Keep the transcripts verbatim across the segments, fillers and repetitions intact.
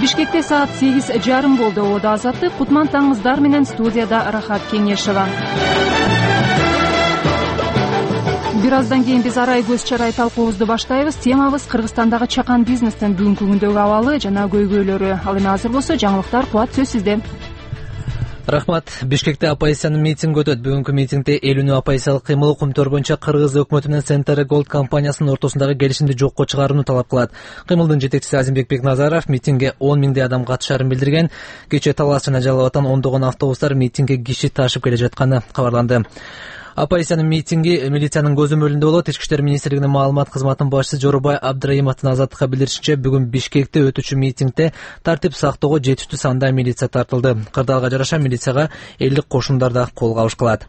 Бишкекте саат сегиз жарым болду. Ода Азаттык, Кутман таңыңыздар менен, студияда Рахат Кеңешева. Бир аздан кийин биз арай көз чарай талкуубузду баштайбыз. Темабыз Кыргызстандагы чакан бизнестин бүгүнкү күндөгү абалы жана көйгөйлөрү. Ал эми азыр болсо жаңылыктар, Кубат, сөз сизде. Рахмат. Бишкекте оппозициянын митинги өтөт. Бүгүнкү митингде элүү оппозициялык кыймыл укмтөр боюнча Кыргыз өкмөтү менен Center Gold компаниясынын ортосундагы келишимди жокко чыгарууну талап кылат. Кыймылдын жетекчиси Азимбек Бекназаров митингге он миңдей адам катышаарын билдирген. Кечээ Талас жана Жалал Абадтан ондогон автобустар митингге киши ташып келе жатканы кабарланды. Оппозициянын митинги милициянын көзөмөлүндө болот. Ички иштер министрлигинин маалымат кызматынын башчысы Жорубай Абдраимовдун Азаттыкка билдиришинче, бүгүн Бишкекте өтүүчү митингде тартип сактоого жетиштүү санда милиция тартылды. Кырдаалга жараша милицияга элдик кошундар да колго алышкылат.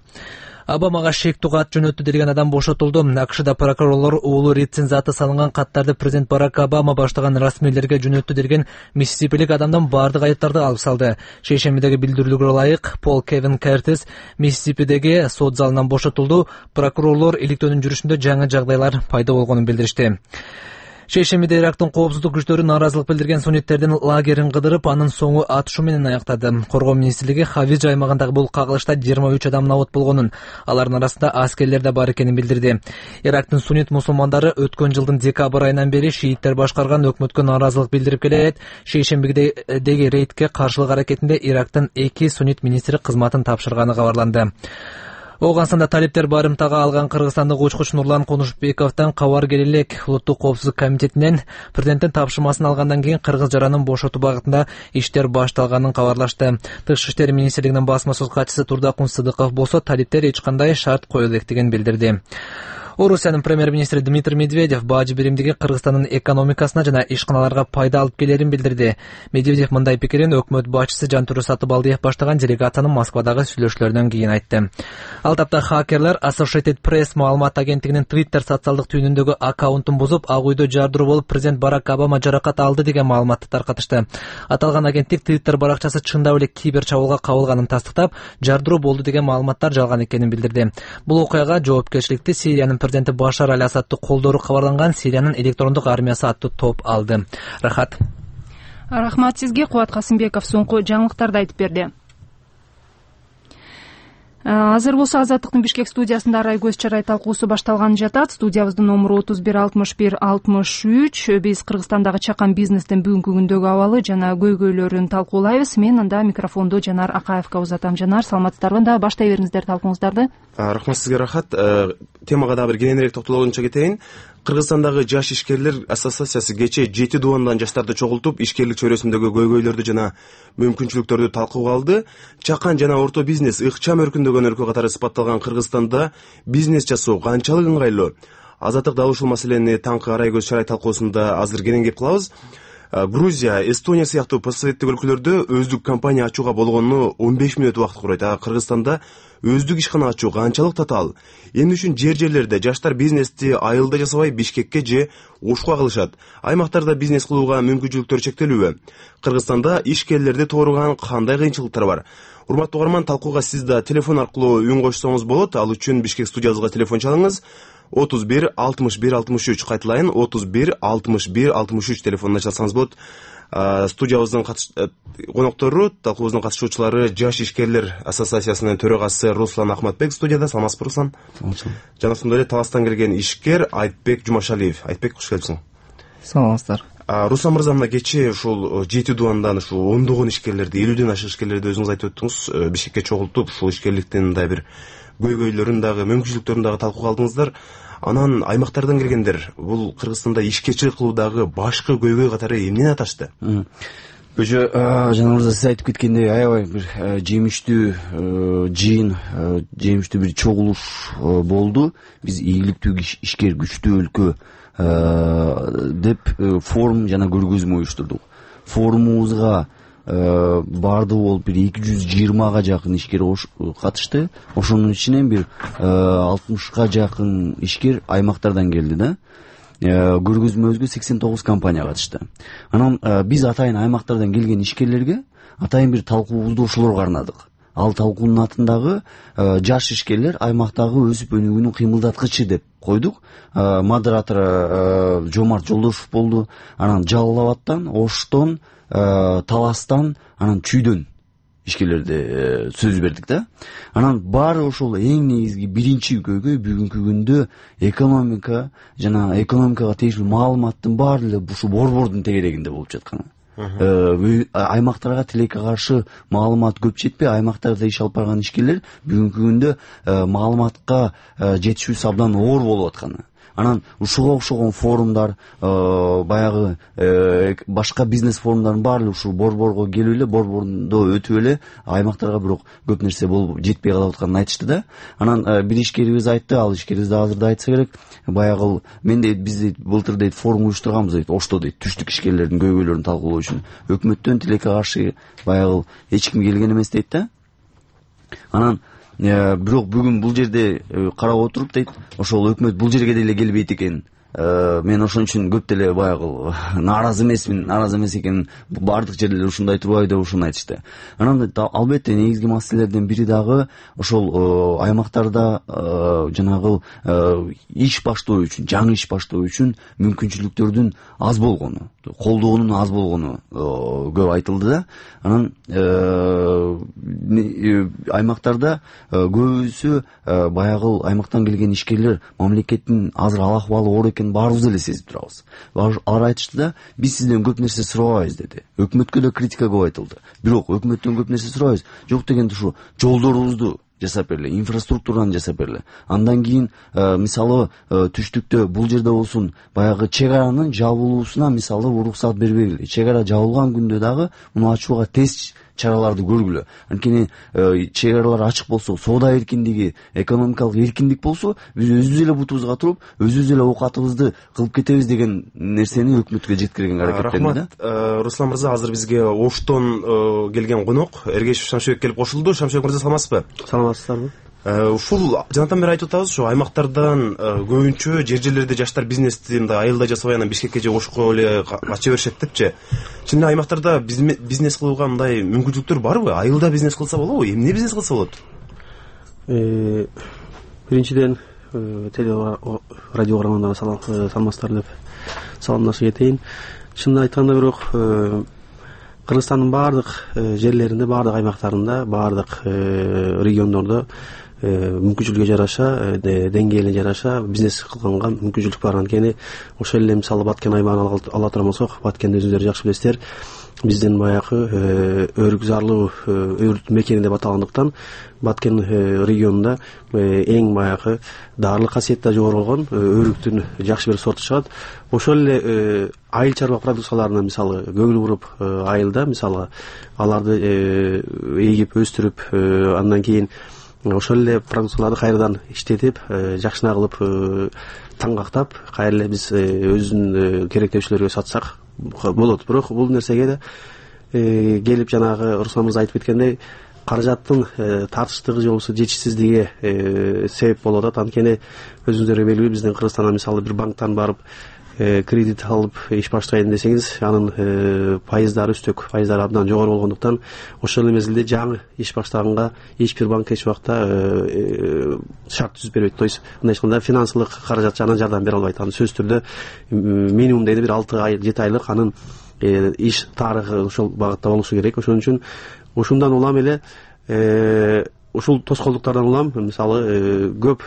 Обамага шектүү кат жөнөттү деген адам бошотулду. АКШда прокурорлор уулу Риддин заты салынган каттарды президент Барак Обама баштаган расмийлерге жөнөттү деген Миссисипилик адамдан бардык айыптарды алып салды. Шейшембидеги билдирүүлгө ылайык Пол Кевин Кертис Миссисипидеги сот залынан бошотулду. Прокурорлор иликтөөнүн жүрүшүндө жаңы жагдайлар пайда болгонун билдиришти. Шейшембиде Ирактын коопсуздук күчтөрү нааразылык билдирген сунниттердин лагерин кыдырып, анын соңу атышуу менен аяктады. Коргоо министрлиги Хавиж аймагындагы бул кагылышта жыйырма үч адам набыт болгонун, алардын арасында аскерлер да бар экенин билдирди. Ирактын суннит мусулмандары өткөн жылдын декабрь айынан бери шииттер башкарган өкмөткө нааразылык билдирип келет. Шейшембидеги рейдке каршылык аракетинде Ирактын эки суннит министри кызматын тапшырганы кабарланды. Оогунстанда талиптер барымтага алган кыргызстандык учкуч Нурлан Конушбековдон кабар келе элек. Улуттук коопсуздук комитетинен президенттин тапшырмасын алгандан кийин кыргыз жаранын бошотуу багытында иштер башталганын кабарлашты. Тышкы иштер министрлигинин басма сөз катчысы Турдакун Сыдыков болсо талиптер эч кандай шарт кое электигин билдирди. Орусиянын премьер-министри Дмитрий Медведев бажы биримдиги Кыргызстандын экономикасына жана ишканаларга пайда алып келерин билдирди. Медведев мындай пикирин өкмөт башчысы Жантүрө Сатыбалдиев баштаган делегациянын Москвадагы сүйлөшүүлөрүнөн кийин айтты. Ал тапта хакерлер Associated Press маалымат агенттигинин Twitter социалдык түйүнүндөгү аккаунтун бузуп, Ак үйдө жардыруу болуп, президент Барак Обама жаракат алды деген маалыматты таркатышты. Аталган агенттик Twitter баракчасы чындап эле кибер чабуулга кабылганын тастыктап, жардыруу болду деген маалыматтар жалган экенин билдирди. Бул окуяга жоопкерчиликти Сириянын президенти Башар Аль-Асадты колдоору кабарланган Сириянын электрондук армиясы аттуу топ алды. Рахат. Рахмат сизге. Кубат Касымбеков соңку жаңылыктарды айтып берди. Азыр болсо Азаттыктын Бишкек студиясында арай көз чарай талкуусу башталганы жатат. Студиябыздын номуру отуз бир алтымыш бир алтымыш үч. Биз Кыргызстандагы чакан бизнестин бүгүнкү күндөгү абалы жана көйгөйлөрүн талкуулайбыз. Мен анда микрофонду Жанар Акаевка узатам. Жанар, саламатсыздарбы? Да баштай бериңиздер талкууңуздарды. Рахмат сизге, Рахат. Темага да бир кененирээк токтолгончо кетейин. Кыргызстандагы жаш ишкерлер ассоциациясы кечээ жети дубандан жаштарды чогултуп, ишкерлик чөйрөсүндөгү көйгөйлөрдү жана мүмкүнчүлүктөрдү талкууга алды. Чакан жана орто бизнес ыкчам өркүндөгөн өлкө катары сыпатталган Кыргызстанда бизнес жасоо канчалык ыңгайлуу? Азаттык дал ушул маселени таңкы арай көз чарай талкуусунда азыр кенен кеп кылабыз. Грузия, Эстония сыяктуу постсоветтик өлкөлөрдө өздүк компания ачууга болгону он беш мүнөт убакыт курайт. А Кыргызстанда өздүк ишкана ачуу канчалык татаал? Эмне үчүн жер жерлерде жаштар бизнести айылда жасабай Бишкекке же Ошко кылышат? Аймактарда бизнес кылууга мүмкүнчүлүктөр чектелүүбү? Кыргызстанда ишкерлерди тооруган кандай кыйынчылыктар бар? Урматтуу угарман, талкууга сиз да телефон аркылуу үн кошсоңуз болот. Ал үчүн Бишкек студиябызга телефон чалыңыз. отуз бир алтымыш бир алтымыш үч, кайталайын, отуз бир алтымыш бир алтымыш үч телефонуна чалсаңыз болот. Студиябыздын коноктору, талкуубуздун катышуучулары Жаш ишкерлер ассоциациясынын төрагасы Руслан Ахматбек студияда. Саламатсызбы, Руслан? Жана ошондой эле Таластан келген ишкер Айтбек Жумашалиев. Айтбек, куш келипсиң. Саламатсыздар. Руслан мырза, мына кечээ ушул жети дубандан ушул ондогон ишкерлерди, элүүдөн ашык ишкерлерди өзүңүз айтып өттүңүз. Бишкекке чогултуп, ушул ишкерликтин мындай бир көйгөйлөрүн дагы, мүмкүнчүлүктөрүн дагы талкууга алдыңыздар. Анан аймактардан келгендер бул Кыргызстанда ишкерчилик кылуудагы башкы көйгөй катары эмнени аташты? Көчө жана мырза, сиз айтып кеткендей, аябай бир жемиштүү жыйын, жемиштүү бир чогулуш болду. Биз ийгиликтүү ишкер күчтүү өлкө деп форум жана көргөзмө уюштурдук. Форумубузга бардыгы болуп бир эки жүз жыйырмага жакын ишкер катышты. Ошонун ичинен бир алтымышка жакын ишкер аймактардан келди да. Көргөзмөбүзгө сексен тогуз компания катышты. Анан биз атайын аймактардан келген ишкерлерге атайын бир талкуубузду ошолорго арнадык. ал талкуунун атындагы жаш ишкерлер аймактагы өсүп өнүгүүнүн кыймылдаткычы деп койдук. Модератору Жомарт Жолдошев болду. Анан Жалал Абадтан, Оштон, Таластан, анан Чүйдөн ишкерлерде сөз бердик да. Анан баары ошол эң негизги биринчи көйгөй бүгүнкү күндө экономика жана экономикага тийиштүү маалыматтын баары эле ушу борбордун тегерегинде болуп жатканы. Аймактарга тилекке каршы маалымат көп жетпей, аймактарда иш алып барган ишкерлер бүгүнкү күндө маалыматка жетишүүсү абдан оор болуп атканы. Анан ушуга окшогон форумдар, баягы башка бизнес форумдардын баары ушул борборго келип эле, борбордо өтүп эле аймактарга бирок көп нерсе болуп жетпей калып атканын айтышты да. Анан бир ишкерибиз айтты, ал ишкерибиз да азырда айтса керек, баягы мен дейт биз дейт былтыр дейт форум уюштурганбыз дейт, Ошто дейт, түштүк ишкерлердин көйгөйлөрүн талкуулоо үчүн. Өкмөттөн тилекке каршы баягы эч ким келген эмес дейт да. Анан бирок бүгүн бул жерде карап отуруп дейт, ошол өкмөт бул жерге деле келбейт экен. Мен ошон үчүн көп деле баягы нааразы эмесмин, нааразы эмес экен, баардык жерлер ушундай турбайбы деп ушуну айтышты. Анан албетте негизги маселелердин бири дагы ошол аймактарда жанагы иш баштоо үчүн, жаңы иш баштоо үчүн мүмкүнчүлүктөрдүн аз болгону, колдоонун аз болгону көп айтылды да. Анан аймактарда көбүсү баягы аймактан келген ишкерлер мамлекеттин азыр ал акыбалы оор экенин баарыбыз эле сезип турабыз. Алар айтышты да, биз сизден көп нерсе сурабайбыз деди. Өкмөткө да критика көп айтылды. Бирок өкмөттөн көп нерсе сурабайбыз. Жок дегенде ушу жолдорубузду жасап берле, инфраструктураны жасап берле. Андан кийин мисалы түштүктө бул жерде болсун баягы чек аранын жабылуусуна мисалы уруксат бербегиле. Чек ара жабылган күндө дагы муну ачууга тез чараларды көргүлө. Анткени чек аралар ачык болсо, соода эркиндиги, экономикалык эркиндик болсо, биз өзүбүз эле бутубузга туруп, өзүбүз эле оокатыбызды кылып кетебиз деген нерсени өкмөткө жеткирген аракеттенди да. Рахмат, Руслан мырза, азыр бизге Оштон келген конок Эргешев Шамшыбек келип кошулду. Шамшыбек мырза, саламатсызбы? Саламатсыздарбы? Ушул жанатан бери айтып атабыз, ушу аймактардан көбүнчө жер жерлерде жаштар бизнести мындай айылда жасабай анан Бишкекке же Ошко эле кача беришет депчи. Чын эле аймактарда бизнес кылууга мындай мүмкүнчүлүктөр барбы? Айылда бизнес кылса болобу? Эмне бизнес кылса болот? Биринчиден теле радио угармандарына саламатсыздар деп саламдашып кетейин. Чынын айтканда бирок Кыргызстандын баардык жерлеринде, баардык аймактарында, баардык региондордо мүмкүнчүлүгү жараша, деңгээлине жараша бизнес кылганга мүмкүнчүлүк бар. Анткени ошол эле мисалы Баткен аймагын ала турган болсок, Баткенди өзүңүздөр жакшы билесиздер, биздин баягы өрүк зарлуу өрт мекени деп аталгандыктан Баткен регионунда эң баягы даарылык касиети жогору болгон өрүктүн жакшы бир сорту чыгат. Ошол эле айыл чарба продукцияларына мисалы көңүл буруп айылда мисалы аларды эгип өстүрүп, андан кийин ошол эле продукцияларды кайрадан иштетип, жакшына кылып таңгактап, кайра эле биз өзүнүн керектөөчүлөргө сатсак болот. Бирок бул нерсеге да келип жанагы Руслан мырза айтып кеткендей, каражаттын тартыштыгы же болбосо жетишсиздиги себеп болуп атат. Анткени өзүңүздөргө белгилүү, биздин Кыргызстанда мисалы бир банктан барып кредит алып иш баштайын десеңиз, анын пайыздары, үстөк пайыздары абдан жогору болгондуктан ошол эле мезгилде жаңы иш баштаганга эч бир банк эч убакта шарт түзүп бербейт. То есть мындай айтканда финансылык каражат жагынан жардам бере албайт. Анын сөзсүз түрдө минимум дегенде бир алты ай, жети айлык анын иш тарыхы ошол багытта болушу керек. Ошон үчүн ушундан улам эле ушул тоскоолдуктардан улам мисалы көп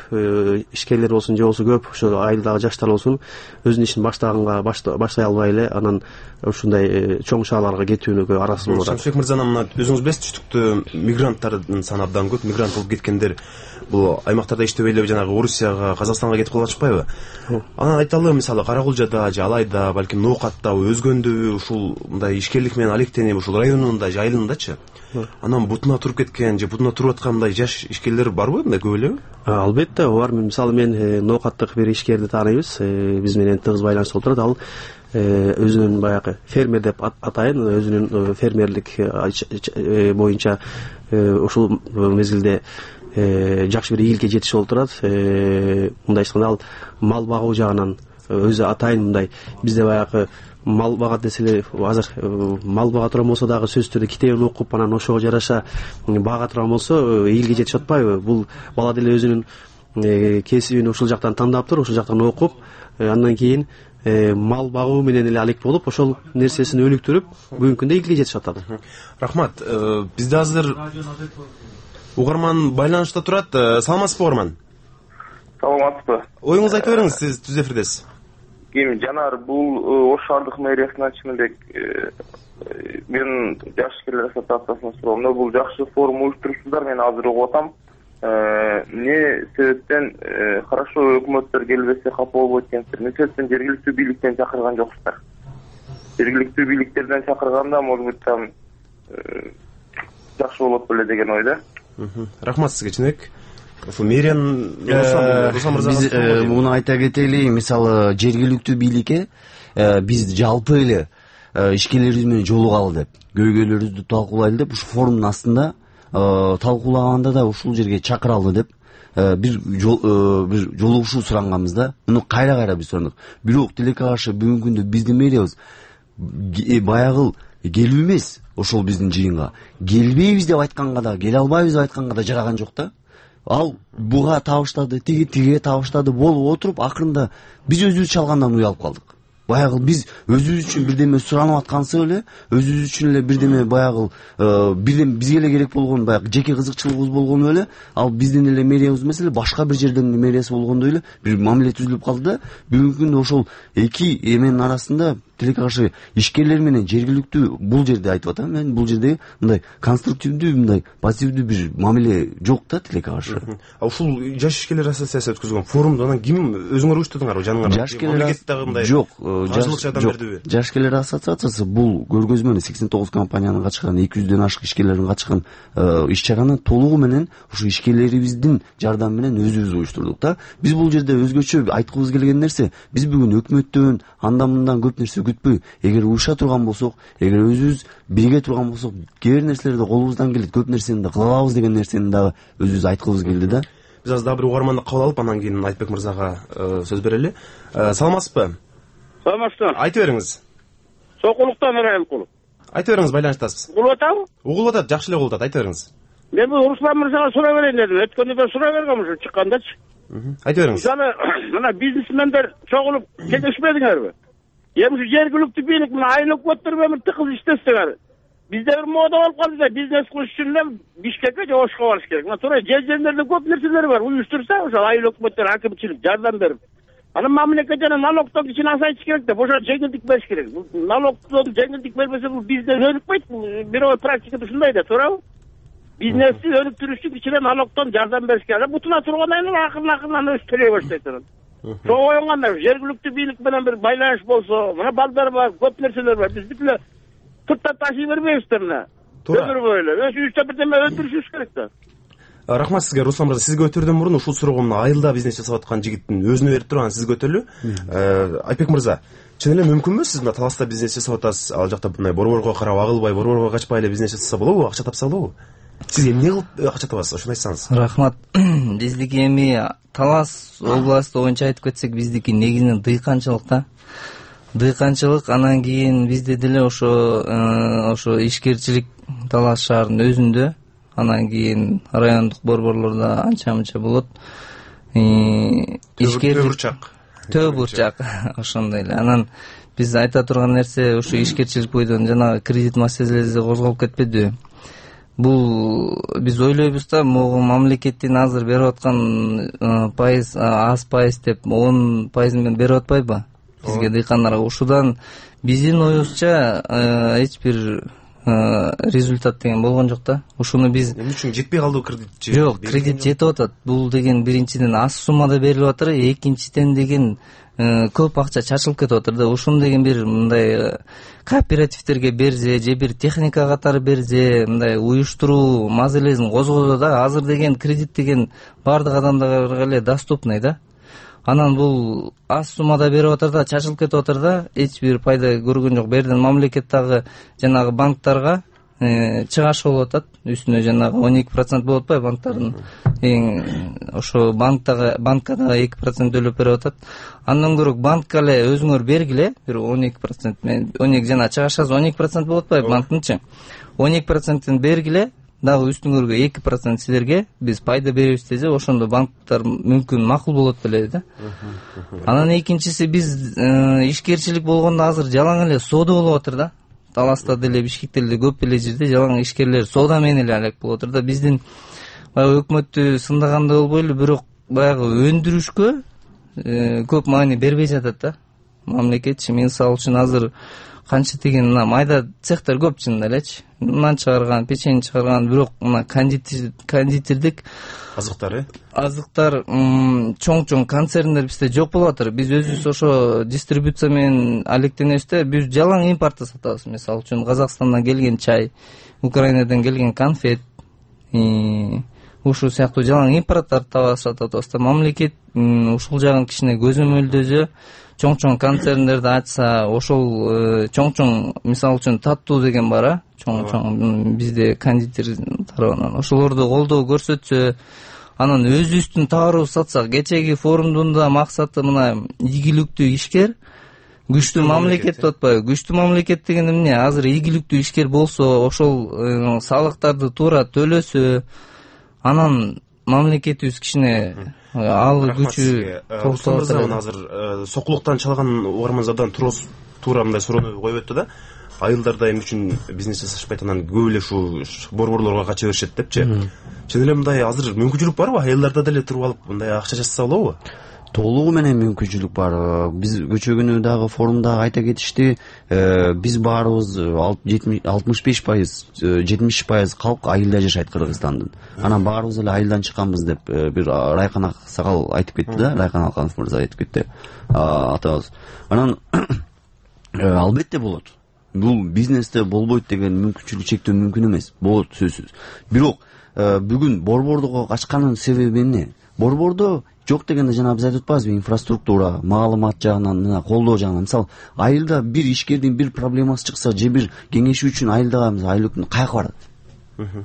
ишкерлер болсун же болбосо көп ошо айылдагы жаштар болсун өзүнүн ишин баштаганга баштай албай эле анан ушундай чоң шаарларга кетүүнүгө араксыз болуп атат. Шамшыбек мырза, мына өзүңүз билесиз, түштүктө мигранттардын саны абдан көп. Мигрант болуп кеткендер бул аймактарда иштебей эле жанагы Орусияга, Казакстанга кетип калып атышпайбы? Анан айталы, мисалы Каракулжада же Алайда, балким Ноокатта өзгөндө ушул мындай ишкерлик менен алектенип ушул районунда же айылындачы анан бутуна туруп кеткен же бутуна туруп аткан мындай жаш ишкерлер барбы, мындай көп элеби? Албетте бар. Мисалы мен Ноокаттык бир ишкерди тааныйбыз, биз менен тыгыз байланышта болуп турат. Ал өзүнүн баягы фермер деп атайын, өзүнүн фермерлик боюнча ушул мезгилде жакшы бир ийгиликке жетишип болуп турат. Мындай айтканда ал мал багуу жагынан өзү атайын мындай бизде баягы мал багат десе эле азыр мал бага турган болсо дагы сөзсүз түрдө китебин окуп анан ошого жараша бага турган болсо элге жетишип атпайбы? Бул бала деле өзүнүн кесибин ушул жактан тандаптыр, ушул жактан окуп, андан кийин мал багуу менен эле алек болуп, ошол нерсесин өнүктүрүп, бүгүнкү күндө элге жетишип атат. Рахмат. Бизде азыр угарман байланышта турат. Саламатсызбы угарман? Саламатсызбы. Оюңузду айтып бериңиз, сиз түз эфирдесиз. Ким Жанар, бул Ош шаардык мэриясынан чыныбек мен жаш ишкерлер ассоциациясынын суроомдо бул жакшы форум уюштуруптур. Мен азыр угуп атам. Эмне себептен хорошо өкмөттөр келбесе капа болбойт экенсиздер? Эмне себептен жергиликтүү бийликтен чакырган жоксуздар? Жергиликтүү бийликтерден чакырганда, может быть, там жакшы болот беле деген ойдо. Рахмат сизге чынбек. Мэриян биз муну айта кетели, мисалы жергиликтүү бийликке биз жалпы эле ишкерлерибиз менен жолугалы деп, көйгөйлөрүбүздү талкуулайлы деп ушу форумдун астында талкуулаганда да ушул жерге чакыралы деп бир бир жолугушуу суранганбыз да. Муну кайра кайра биз сурандык. Бирок тилекке каршы бүгүнкү күндө биздин мэриябыз баягыл келүү эмес, ошол биздин жыйынга келбейбиз деп айтканга да, келе албайбыз деп айтканга да жараган жок да. Ал буга табыштады, тиги тиге табыштады болуп отуруп, акырында биз өзүбүз чалгандан уялып калдык. Баягыл биз өзүбүз үчүн бирдеме суранып аткансып эле, өзүбүз үчүн эле бирдеме баягыл бирден бизге эле керек болгон баягы жеке кызыкчылыгыбыз болгону эле, ал биздин эле мэриябыз эмес эле, башка бир жерден мэриясы болгондой эле бир мамиле түзүлүп калды да. Бүгүнкү күндө ошол эки эменин арасында тилекке каршы ишкерлер менен жергиликтүү бул жерде айтып атам, мен бул жерде мындай конструктивдүү, мындай позитивдүү бир мамиле жок да тилекке каршы. Ушул жаш ишкерлер ассоциациясы өткөзгөн форумду анан ким өзүңөр уюштурдуңарбы жаныңар? Жаш ишкерлер жок, жаш ишкерлер ассоциациясы бул көргөзмөнү сексен тогуз компаниянын катышкан, эки жүздөн ашык ишкерлердин катышкан иш-чараны толугу менен ушу ишкерлерибиздин жардамы менен өзүбүз уюштурдук да. Биз бул жерде өзгөчө айткыбыз келген нерсе, биз бүгүн өкмөттөн андан мындан көп нерсе күтпөй, эгер уюша турган болсок, эгер өзүбүз бирге турган болсок, кээ бир нерселерди колубуздан келет, көп нерсени да кыла алабыз деген нерсени дагы өзүбүз айткыбыз келди да. Биз азыр дагы бир угарманды кабыл алып, андан кийин Айтбек мырзага сөз берели. Саламатсызбы? Саламатсызбы. Айтып бериңиз. Сокулуктан Ырайылкулов. Айтып бериңиз, байланыштасыз. Угулуп атабы? Угулуп атат, жакшы эле угулуп атат. Айтып бериңиз. Мен бул Руслан мырзага сурай берейин дедим. Өткөндө да сурай бергем ушу чыккандачы. Айтып бериңиз. Мисалы, мына бизнесмендер чогулуп келишпедиңерби? Эми ушу жергиликтүү бийлик мына айыл өкмөттөр менен тыкыз иштесеңер, бизде бир мода болуп калды да, бизнес кылыш үчүн эле Бишкекке же Ошко барыш керек. Мына туура жер жерлерде көп нерселер бар. Уюштурса, ошол айыл өкмөттөр, акимчилик жардам берип, анан мамлекет жана налогдон кичине азайтыш керек деп, ошо жеңилдик бериш керек. Налогдон жеңилдик бербесе, бул бизнес өнүкпөйт. Бирөө практикада ушундай да, туурабы? Бизнести өнүктүрүш үчүн кичине налогдон жардам бериш керек. Бутуна тургандан кийин акырын-акырын өз төлөй баштайт анан. Ошого оюнганда жергиликтүү бийлик менен бир байланыш болсо, мына балдар бар, көп нерселер бар. Биз бүт эле тыртап ташый бербейбиздер мына. Өмүр бою эле өчүгүчтө бирдеме өндүрүшүбүз керек да. Рахмат сизге, Руслан мырза. Сизге өтөрдөн мурун ушул суроого мына айылда бизнес жасап аткан жигиттин өзүнө берип туруп, анан сизге өтөлү. Айтбек мырза, чын эле мүмкүнбү сиз мына Таласта бизнес жасап атасыз, ал жакта мындай борборго карап агылбай, борборго качпай эле бизнес жасаса болобу, акча тапса болобу? Сиз эмне кылып акча табасыз, ошону айтсаңыз. Рахмат. Биздики эми Талас областы боюнча айтып кетсек, биздики негизинен дыйканчылык да. Дыйканчылык, анан кийин бизде деле ошо ошо ишкерчилик Талас шаарынын өзүндө, анан кийин райондук борборлордо анча-мынча болот. Ишкер бурчак. Төө бурчак ошондой эле. Анан биз айта турган нерсе ушу ишкерчилик бойдон жанагы кредит маселеси козголуп кетпедиби? Бул биз ойлойбуз да, могу мамлекеттин азыр берип аткан пайыз аз пайыз деп он пайыз менен берип атпайбы бизге дыйкандарга? Ушудан биздин оюбузча эч бир результат деген болгон жок да. Ушуну биз эмне үчүн жетпей калды кредит? Жок, кредит жетип атат. Бул деген биринчиден аз суммада берилип атыр, экинчиден деген көп акча чачылып кетип атыр да. Ушуну деген бир мындай кооперативтерге берсе, же бир техника катары берсе, мындай уюштуруу маселесин козгозо да. Азыр деген кредит деген бардык адамдарга эле доступный да. Анан бул аз суммада берип атыр да, чачылып кетип атыр да, эч бир пайда көргөн жок. Берден мамлекет дагы жанагы банктарга чыгашы болуп атат. Үстүнө жанагы он эки процент болуп атпайбы банктардын. Эң ошо банктагы банкадагы эки процент төлөп берип атат. Андан көрө банкка эле өзүңөр бергиле, бир он эки процент мен он эки жана чыгашыңыз он эки процент болуп атпайбы банктынчы. он эки проценттин бергиле, дагы үстүңөргө эки процент силерге биз пайда беребиз десе, ошондо банктар мүмкүн макул болот беле да. Анан экинчиси биз ишкерчилик болгондо азыр жалаң эле соода болуп атыр да. Таласта деле, Бишкекте деле көп эле жерде жалаң ишкерлер соода менен эле алек болуп атыр да. Биздин баягы өкмөттү сындаганда болбойлу, бирок баягы өндүрүшкө көп маани бербей жатат да. Мамлекетчи мисалы үчүн азыр канча деген мына майда цехтер көп чынында элечи. Нан чыгарган, печень чыгарган, бирок мына кондитер кондитердик азыктар э азыктар чоң-чоң концерндер бизде жок болуп атыр. Биз өзүбүз ошо дистрибуция менен алектенебиз да. Биз жалаң импортто сатабыз. Мисалы үчүн Казакстандан келген чай, Украинадан келген конфет, ушул сыяктуу жалаң импорттарды таба сатабыз да. Мамлекет ушул жагын кичине көзөмөлдөсө, чоң-чоң концерндерди ачса, ошол чоң-чоң мисалы үчүн Таттуу деген бар а, чоң-чоң бизде кондитер тарабынан ошолорду колдоо көрсөтсө, анан өзүбүздүн товарыбызды сатсак, кечеги форумдун да максаты мына ийгиликтүү ишкер, күчтүү мамлекет деп атпайбы? Күчтүү мамлекет деген эмне? Азыр ийгиликтүү ишкер болсо, ошол салыктарды туура төлөсө, анан мамлекетибиз кичине ал күчү Рустам мырза азыр сокулуктан чалган угармандардан туура мындай суроону коюп өттү да. Айылдарда эмне үчүн бизнес жасашпайт, анан көп эле ушу борборлорго кача беришет депчи. Чын эле мындай азыр мүмкүнчүлүк барбы? Айылдарда деле туруп алып мындай акча жасаса болобу? Толугу менен мүмкүнчүлүк бар. Биз көчө күнү дагы форумда айта кетишти, биз баарыбыз алтымыш беш пайыз, жетимиш пайыз калк айылда жашайт Кыргызстандын. Анан баарыбыз эле айылдан чыкканбыз деп бир Райкан Аксакал айтып кетти да, Райкан Алканов мырза айтып кетти. Атабыз. Анан албетте болот. Бул бизнесте болбойт деген мүмкүнчүлүк чектөө мүмкүн эмес. Болот сөзсүз. Бирок бүгүн борбордого качканын себеби эмне? Борбордо жок дегенде жана биз айтып атпайбызбы, инфраструктура, маалымат жагынан, мына колдоо жагынан. Мисалы, айылда бир ишкердин бир проблемасы чыкса, же бир кеңешүү үчүн айылдагы айыл каяка барат?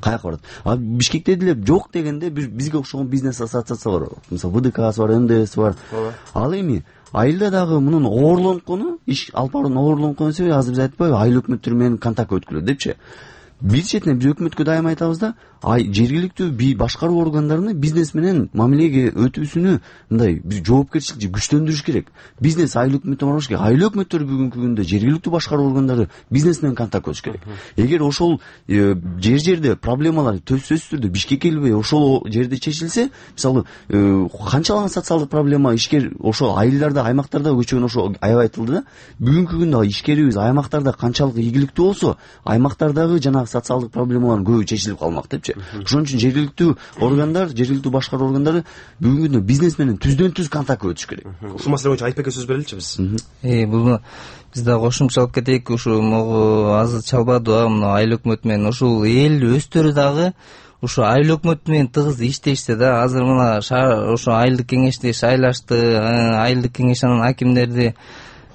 Каяка барат? А Бишкекте деле жок дегенде бизге окшогон бизнес ассоциация бар. Мисалы, вэ дэ касы бар, эм дэ эс бар. Ал эми айылда дагы мунун оорлонткону, иш алып баруунун оорлонткону себеби азыр биз айтпайбы, айыл өкмөттөрү менен контакт өткөрүлөт депчи. Бир четинен биз өкмөткө дайым айтабыз да, ай жергиликтүү башкаруу органдарыны бизнес менен мамилеге өтүүсүнү мындай бир жоопкерчиликти күчтөндүрүш керек. Бизнес айыл өкмөттө барбаш керек. Айыл өкмөттөрү бүгүнкү күндө жергиликтүү башкаруу органдары бизнес менен контакт өтүш керек. Эгер ошол жер жерде проблемалар сөзсүз түрдө Бишкекке келбей ошол жерде чечилсе, мисалы, канчалаган социалдык проблема ишкер ошо айылдарда, аймактарда көчөгөн ошо аябай айтылды да. Бүгүнкү күндө ишкерибиз аймактарда канчалык ийгиликтүү болсо, аймактардагы жана социалдык проблемалардын көбү чечилип калмак депчи. Ошон үчүн жергиликтүү органдар, жергиликтүү башкаруу органдары бүгүнкү күндө бизнес менен түздөн түз контакт өтүш керек. Ушул маселе боюнча Айтбекке сөз береличи биз. Э, бул биз да кошумчалап кетейик, ушу могу азыр чалбадыбы, мына айыл өкмөт менен ушул эл өздөрү дагы ушу айыл өкмөт менен тыгыз иштешти да. Азыр мына ошо айылдык кеңешти шайлашты, айылдык кеңеш анан акимдерди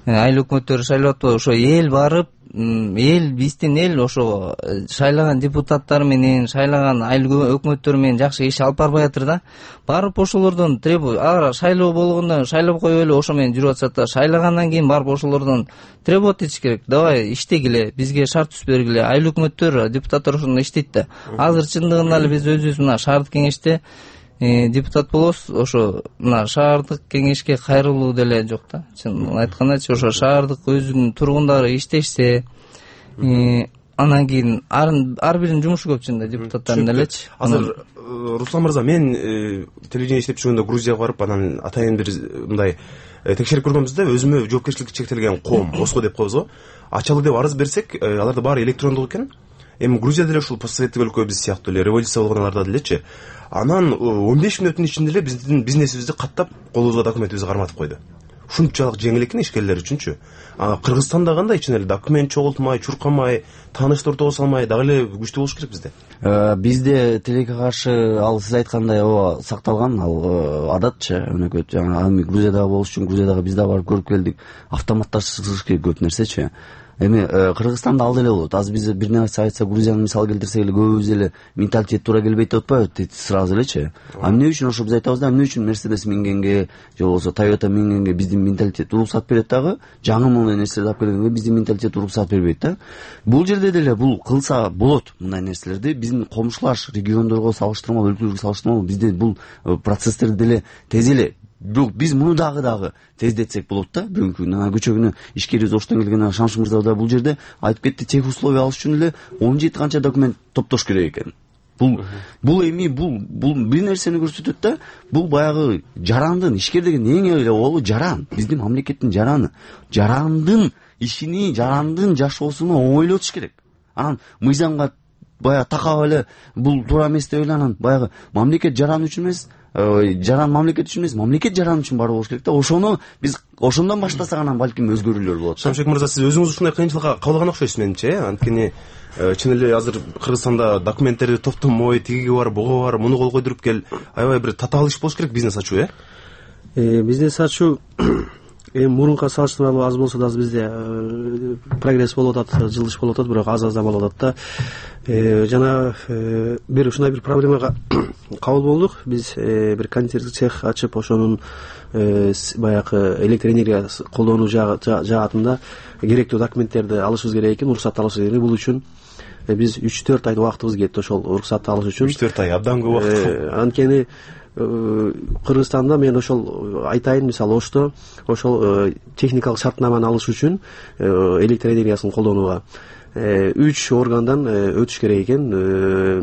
айыл өкмөттөрү шайлап атпайбы, ошо эл барып, эл биздин эл ошо шайлаган депутаттар менен, шайлаган айыл өкмөттөр менен жакшы иш алып барбай атыр да. Барып ошолордон требуй, ага шайлоо болгондо шайлап коюп эле ошо менен жүрүп атышат да. Шайлагандан кийин барып ошолордон требовать этиш керек. Давай иштегиле, бизге шарт түзүп бергиле. Айыл өкмөттөр, депутаттар ошондо иштейт да. Азыр чындыгында эле биз өзүбүз мына шаардык кеңеште депутат болобуз, ошо мына шаардык кеңешке кайрылуу деле жок да. Чын айткандачы, ошо шаардык өзүнүн тургундары иштешсе, анан кийин ар биринин жумушу көп чында депутаттардын делечи. Азыр Руслан мырза, мен телевидение иштеп жүргөндө Грузияга барып, анан атайын бир мындай текшерип көргөнбүз да, өзүмө жоопкерчиликти чектелген коом, ОСКО деп коебуз го. Ачалы деп арыз берсек, аларда баары электрондук экен. Эми Грузия деле ушул постсоветтик өлкө биз сыяктуу эле революция болгоналарда делечи. Анан он беш мүнөттүн ичинде эле биздин бизнесибизди каттап, колубузга документибизди карматып койду. Ушунчалык жеңил экен ишкерлер үчүнчү. Кыргызстанда кандай ичинде эле документ чогултмай, чуркамай, тааныштар ортого салмай дагы эле күчтүү болуш керек бизде. Бизде тилекке каршы ал сиз айткандай ооба сакталган, ал адатчы өнөкөт. Жана ами Грузиядагы болуш үчүн Грузиядагы биз да барып көрүп келдик. Автоматташсыз керек көп нерсечи. эми Кыргызстанда ал деле болот. Азыр биз бир нерсе айтса, Грузияны мисал келтирсек эле көбүбүз эле менталитет туура келбейт деп атпайбы сразу элечи. А эмне үчүн ошо биз айтабыз да, эмне үчүн Mercedes мингенге же болбосо Toyota мингенге биздин менталитет уруксат берет дагы, жаңы модель нерселерди алып келгенге биздин менталитет уруксат бербейт да. Бул жерде деле бул кылса болот мындай нерселерди. Биздин комшулаш региондорго салыштырмалуу, өлкөлөргө салыштырмалуу бизде бул процесстерди деле тез эле. Бирок биз муну дагы дагы тездетсек болот да. Бүгүнкү күнү кечээ күнү ишкерибиз Оштон келген Шамшыр мырза да бул жерде айтып кетти, тех условия алыш үчүн эле он жети канча документ топтош керек экен. Бул бул эми бул бул бир нерсени көрсөтөт да. Бул баягы жарандын ишкер деген эң эле болу жаран. Биздин мамлекеттин жараны. Жарандын ишини, жарандын жашоосуну оңойлотуш керек. Анан мыйзамга баягы такап эле бул туура эмес деп эле анан баягы мамлекет жаран үчүн эмес, жаран мамлекет үчүн эмес, мамлекет жаран үчүн бар болуш керек да. Ошону биз ошондон баштасак анан балким өзгөрүүлөр болот. Шамшек мырза, сиз өзүңүз ушундай кыйынчылыкка кабылган окшойсуз менимче. Анткени чын эле азыр Кыргызстанда документтерди топтомой, тигиги бар, буга бар, муну кол койдуруп кел, аябай бир татаал иш болуш керек бизнес ачуу, э? Бизнес ачуу эми мурунка салыштырмалуу аз болсо да бизде прогресс болуп атат, жылыш болуп атат, бирок аз-аздан болуп атат да. Жана бир ушундай бир проблемага кабыл болдук. Биз бир кондитерский цех ачып, ошонун баягы электр энергия колдонуу жаатында керектүү документтерди алышыбыз керек экен, уруксатты алышыбыз керек. Бул үчүн биз үч төрт ай убактыбыз кетти ошол уруксатты алыш үчүн. үч төрт ай абдан көп убакыт. Анткени Кыргызстанда мен ошол айтайын, мисалы Ошто ошол техникалык шартнаманы алыш үчүн электр энергиясын колдонууга үч органдан өтүш керек экен.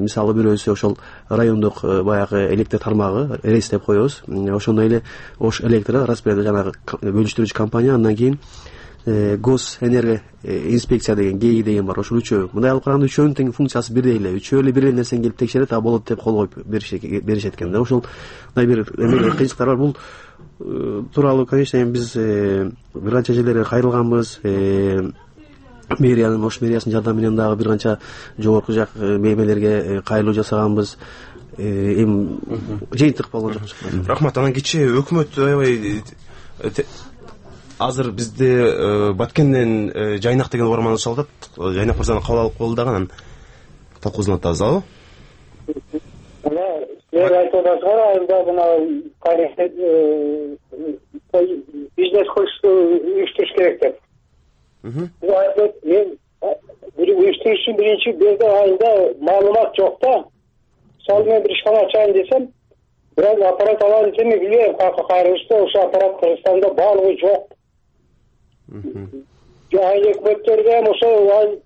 Мисалы бирөөсү ошол райондук баягы электр тармагы, РЭС деп коебуз. Ошондой эле Ош электро, распределитель жанагы бөлүштүрүүчү компания, андан кийин Госэнерго инспекция деген ГЭИ деген бар. Ошол үчөө. Мындай алып караганда үчөөнүн тең функциясы бирдей эле. Үчөө эле бир эле нерсени келип текшерет, а болот деп кол коюп беришет экен да. Ошол мындай бир эме кыйынчылыктар бар. Бул тууралуу, конечно, эми биз бир канча жерлерге кайрылганбыз. Мэриянын, Ош мэриясынын жардамы менен дагы бир канча жогорку жак меймелерге кайрылуу жасаганбыз. Эми жыйынтык болгон жок. Рахмат. Анан кечээ өкмөт аябай азыр бизде Баткенден Жайнак деген угарман чалып атат. Жайнак мырзаны кабыл алып коелу дагы, анан талкуусун атабыз. Албы? Силер айтып атасыңар, айында мына бизнес кылышты уюштуруш керек деп. Мен бир уюштурушчу биринчи берде айында маалымат жок да. Мисалы мен бир ишкана ачайын десем, бирок аппарат алайын десем, билбейм каяка кайрылышты, ошо аппарат Кыргызстанда баалыгы жок. Айыл өкмөттөрдө эми ошо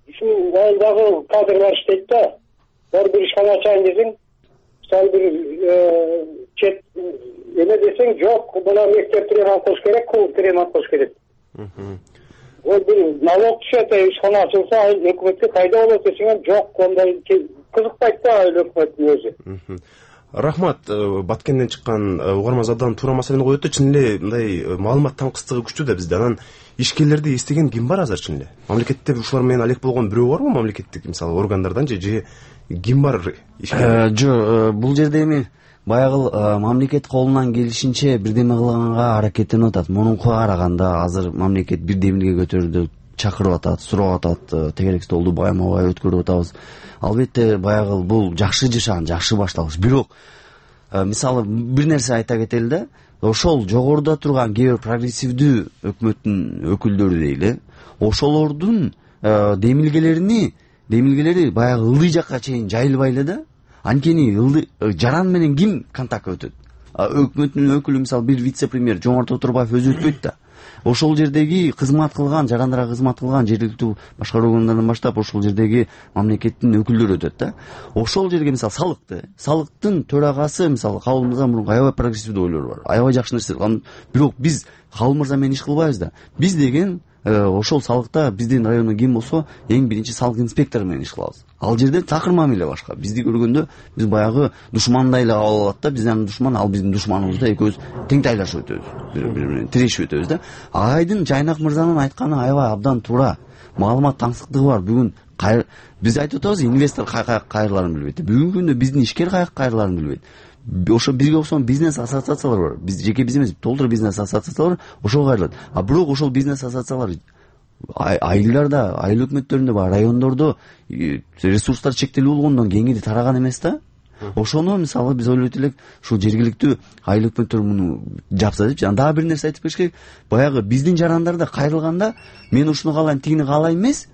ушу айылдагы кадрлар иштейт да. Бир бир ишкана ачайын десең, мисалы бир чет эме десең, жок, мына мектепти ремонт кылыш керек, клубду ремонт кылыш керек. Ол бир налог түшөт, ишкана ачылса, айыл өкмөткө кайда болот десең, жок, ондай кызыкпайт да айыл өкмөттүн өзү. Рахмат. Баткенден чыккан угарман абдан туура маселени коюп атты. Чын эле мындай маалымат таңкыстыгы күчтүү да бизде. Анан ишкерлерди эстеген ким бар азыр чын эле? Мамлекетте ушулар менен алек болгон бирөө барбы, мамлекеттик мисалы органдардан же же ким бар ишкерлер? Жок, бул жерде эми баягы мамлекет колунан келишинче бирдеме кылганга аракеттенип атат. Мурункуга караганда азыр мамлекет бирдемеге көтөрүүдө чакырып атат, сурап атат, тегерек столду байма-бай өткөрүп атабыз. Албетте баягы бул жакшы жашаган, жакшы башталыш. Бирок мисалы бир нерсе айта кетели да, ошол жогоруда турган кээ бир прогрессивдүү өкмөттүн өкүлдөрү дейли, ошолордун демилгелерини, демилгелери баягы ылдый жакка чейин жайылбай эле да. Анткени ылдый жаран менен ким контактка өтөт? Өкмөттүн өкүлү мисалы бир вице-премьер Жомарт Отурбаев өзү өтпөйт да. Ошол жердеги кызмат кылган, жарандырга кызмат кылган жергиликтүү башкаруу органдарынан баштап ошол жердеги мамлекеттин өкүлдөрү өтөт да. Ошол жерге мисалы салыкты, салыктын төрагасы мисалы Кабыл мырза мурун аябай прогрессивдүү ойлору бар. Аябай жакшы нерсе. Бирок биз Кабыл мырза менен иш кылбайбыз да. Биз деген ошол салыкта биздин райондо ким болсо эң биринчи салык инспектору менен иш кылабыз. Ал жерде такыр мамиле башка. Бизди көргөндө биз баягы душмандай эле кабыл алат да. Биздин душман, ал биздин душманыбыз да, экөөбүз тең тайлашып өтөбүз. Бири-бири менен тирешип өтөбүз да. Айдын Жайнак мырзанын айтканы аябай абдан туура. Маалымат таңсыктыгы бар. Бүгүн биз айтып атабыз, инвестор каяка кайрыларын билбейт. Бүгүнкү күндө биздин ишкер каяка кайрыларын билбейт. Ошо бизге окшогон бизнес ассоциациялар бар. Биз жеке биз эмес, толтура бизнес ассоциациялар ошого кайрылат. А бирок ошол бизнес ассоциациялар айылдар да, айыл өкмөттөрүндө бар, райондордо ресурстар чектелүү болгондон кеңири тараган эмес да. Ошону мисалы биз ойлойт элек, ушул жергиликтүү айыл өкмөттөр муну жапса депчи. Анан дагы бир нерсе айтып бериш керек. Баягы биздин жарандарда кайрылганда мен ушуну каалайм, тигини каалайм эмес,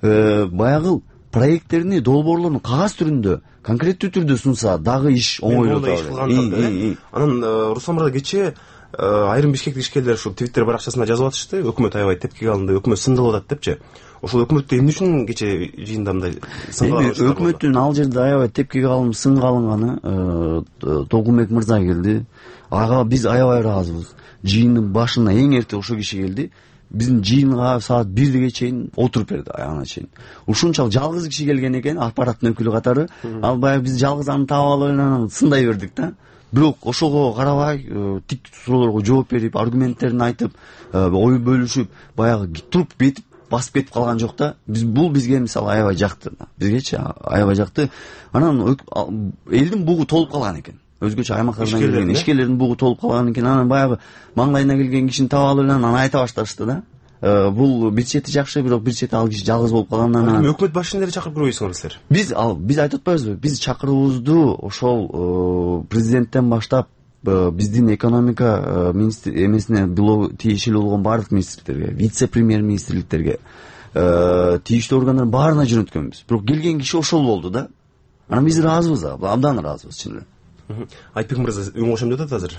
баягы проекттерини, долбоорлорун кагаз түрүндө конкреттүү түрдө сунса дагы иш оңойлоп атат. Анан Руслан мырза кечээ айрым бишкектик ишкерлер ушул Twitter баракчасына жазып атышты, өкмөт аябай тепкиге алынды, өкмөт сындалып атат депчи. Ошол өкмөттү эмне үчүн кечээ жыйында мындай сынга өкмөттүн ал жерде аябай тепкиге алынып сынга алынганы Толкунбек мырза келди. Ага биз аябай ыраазыбыз. Жыйындын башына эң эрте ошол киши келди. Биздин жыйынга саат бирге чейин отуруп берди, аягына чейин. Ушунчалык жалгыз киши келген экен, аппараттын өкүлү катары. Ал баягы биз жалгыз аны таап алып анан сындай бердик да. Бирок ошого карабай, тик суроолорго жооп берип, аргументтерин айтып, ой бөлүшүп, баягы туруп бетип басып кетип калган жок да. Биз бул бизге мисалы аябай жакты. Бизгечи аябай жакты. Анан элдин бугу толуп калган экен. Өзгөчө аймактардан келген ишкерлердин бугу толуп калган экен. Анан баягы маңдайына келген кишини таап алып анан айта башташты да. Бул бир чети жакшы, бирок бир чети ал киши жалгыз болуп калгандан анан өкмөт башчысын деле чакырып көрбөйсүңөр силер. Биз ал биз айтып атпайбызбы? Биз чакыруубузду ошол президенттен баштап биздин экономика министр эмесине тиешелүү болгон баардык министрликтерге, вице-премьер-министрликтерге, тийиштүү органдардын баарына жөнөткөнбүз. Бирок келген киши ошол болду да. Анан биз ыраазыбыз, абдан ыраазыбыз чын эле. Айтбек мырза үн кошом деп атат азыр.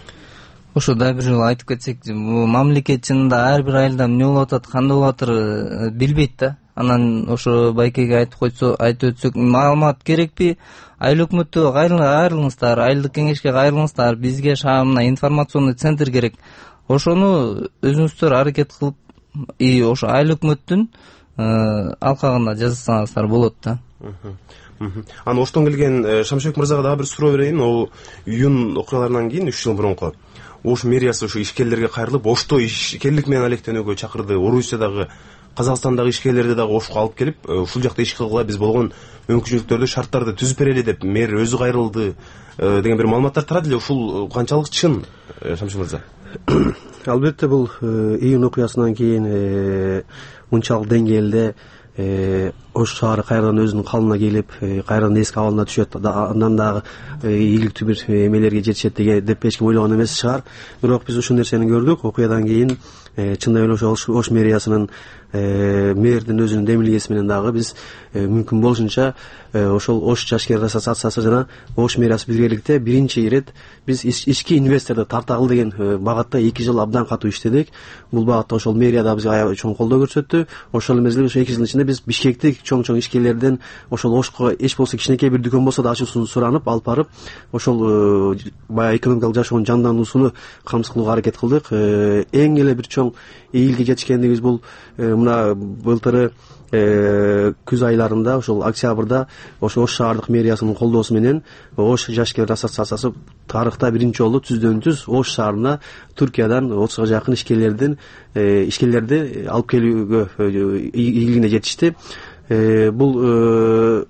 Ошо да бир жолу айтып кетсек, бул мамлекет чынында ар бир айылда эмне болуп атат, кандай болуп атыр билбейт да. Анан ошо байкеге айтып койсо, айтып өтсөк, маалымат керекпи? Айыл өкмөттө кайрылыңыздар, айылдык кеңешке кайрылыңыздар, бизге шаамына информационный центр керек. Ошону өзүңүздөр аракет кылып, и ошо айыл өкмөттүн алкагында жазсаңыздар болот да. Анан Оштон келген Шамшыбек мырзага дагы бир суроо берейин. Ол июнь окуяларынан кийин үч жыл мурунку Ош мэриясы ушу ишкерлерге кайрылып, Ошто ишкерлик менен алектенүүгө чакырды. Орусиядагы, Казакстандагы ишкерлерди дагы Ошко алып келип, ушул жакта иш кылгыла, биз болгон мүмкүнчүлүктөрдү, шарттарды түзүп берели деп мэр өзү кайрылды деген бир маалыматтар тарады эле. Ушул канчалык чын, Шамшыбек мырза? Албетте бул июнь окуясынан кийин унчалык деңгээлде Ош шаары кайрадан өзүнүн калыбына келип, кайрадан эски абалына түшөт. Андан дагы ийгиликтүү бир эмелерге жетишет деп эч ким ойлогон эмес чыгар. Бирок биз ушул нерсени көрдүк. Окуядан кийин чындап эле ошо Ош мэриясынын мэрдин өзүнүн демилгеси менен дагы биз мүмкүн болушунча ошол Ош жашкерлер ассоциациясы жана Ош мэриясы биргеликте биринчи ирет биз ички инвесторду тартагыл деген багытта эки жыл абдан катуу иштедик. Бул багытта ошол мэрия да бизге аябай чоң колдоо көрсөттү. Ошол мезгилде ошо эки жылдын ичинде биз Бишкектик чоң-чоң ишкерлерден ошол Ошко эч болсо кичинекей бир дүкөн болсо да ачуусун суранып, алып барып, ошол баягы экономикалык жашоонун жандануусуну камсыз кылууга аракет кылдык. Эң эле бир чоң ийгиликке жетишкендигибиз бул мына былтыры күз айларында, ошол октябрда ошо Ош шаардык мэриясынын колдоосу менен Ош жашкерлер ассоциациясы тарыхта биринчи жолу түздөн түз Ош шаарына Түркиядан отузга жакын ишкерлердин ишкерлерди алып келүүгө ийгилигине жетишти. Бул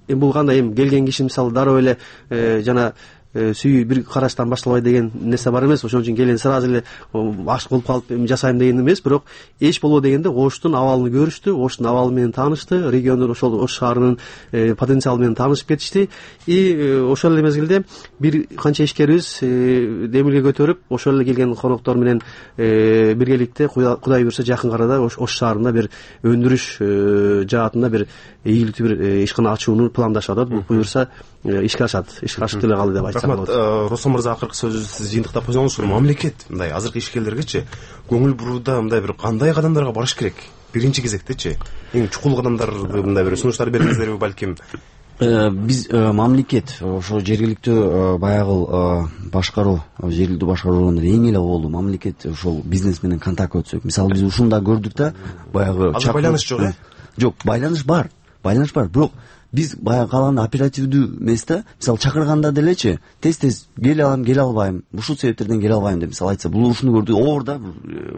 бул кандай эми келген киши мисалы дароо эле жана сүйүү бир караштан башталбайт деген нерсе бар эмес. Ошон үчүн келен сразу эле ашык болуп калып эми жасайм деген эмес. Бирок эч болбоо дегенде Оштун абалын көрүштү, Оштун абалы менен таанышты, региондор ошол Ош шаарынын потенциалы менен таанышып кетишти. И ошол эле мезгилде бир канча ишкерибиз демилге көтөрүп, ошол эле келген коноктор менен биргеликте Кудай буйрса жакын арада Ош шаарында бир өндүрүш жаатында бир ийгиликтүү бир ишкана ачууну пландашып атат. Бул буйрса ишке ашат, ишке ашып деле калды деп айтсак болот. Руслан мырза, акыркы сөзүбүздү сиз жыйынтыктап койсоңуз, мамлекет мындай азыркы ишкерлергечи көңүл бурууда мындай бир кандай кадамдарга барыш керек? Биринчи кезектечи эң чукул кадамдарды мындай бир сунуштар бериңиздерби балким? Биз мамлекет ошо жергиликтүү баягы башкаруу, жергиликтүү башкаруу органдары эң эле оболу мамлекет ошол бизнес менен контакт өтсөк. Мисалы биз ушунда көрдүк да, баягы азыр байланыш жок э? Жок, байланыш бар. Байланыш бар, бирок биз баягы калганда оперативдүү эмес-да. Мисалы чакырганда делечи, тез-тез келе алам, келе албайм, ушул себептерден келе албайм деп мисалы айтса, бул ушуну көрдүк, оорда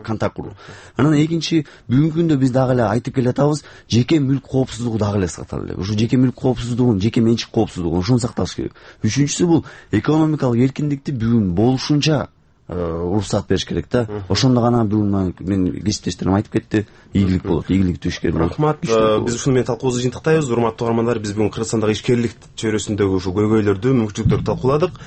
контакт куруу. Анан экинчи, бүгүнкү күндө биз дагы эле айтып келатабыз, жеке мүлк коопсуздугу дагы эле сактала элек. Ушу жеке мүлк коопсуздугун, жеке менчик коопсуздугун ушуну сакташ керек. Үчүнчүсү бул экономикалык эркиндикти бүгүн болушунча уруксаат бериш керек да. Ошондо гана бүгүн мен кесиптештерим айтып кетти, ийгилик болот, ийгиликтүү ишкер болот. Рахмат. Биз ушуну менен талкуубузду жыйынтыктайбыз. Урматтуу угармандар, биз бүгүн Кыргызстандагы ишкерлик чөйрөсүндөгү ушу көйгөйлөрдү, мүмкүнчүлүктөрдү талкууладык.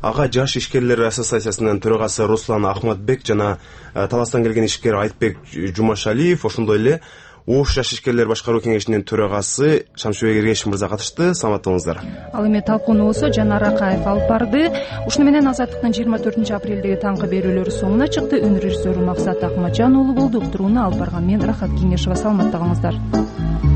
Ага жаш ишкерлер ассоциациясынын төрагасы Руслан Ахматбек жана Таластан келген ишкер Айтбек Жумашалиев, ошондой эле Ош жаш ишкерлер башкаруу кеңешинин төрагасы Шамшыбек Эргешев мырза катышты. Саламатта болуңуздар. Ал эми талкууну болсо Жанар Акаев алып барды. Ушуну менен Азаттыктын жыйырма төртүнчү апрелдеги таңкы берүүлөрү соңуна чыкты. Өнөр режиссеру Максат Акматжан уулу болду. Уктурууну алып барган мен Рахат Кеңешова. Саламатта калыңыздар.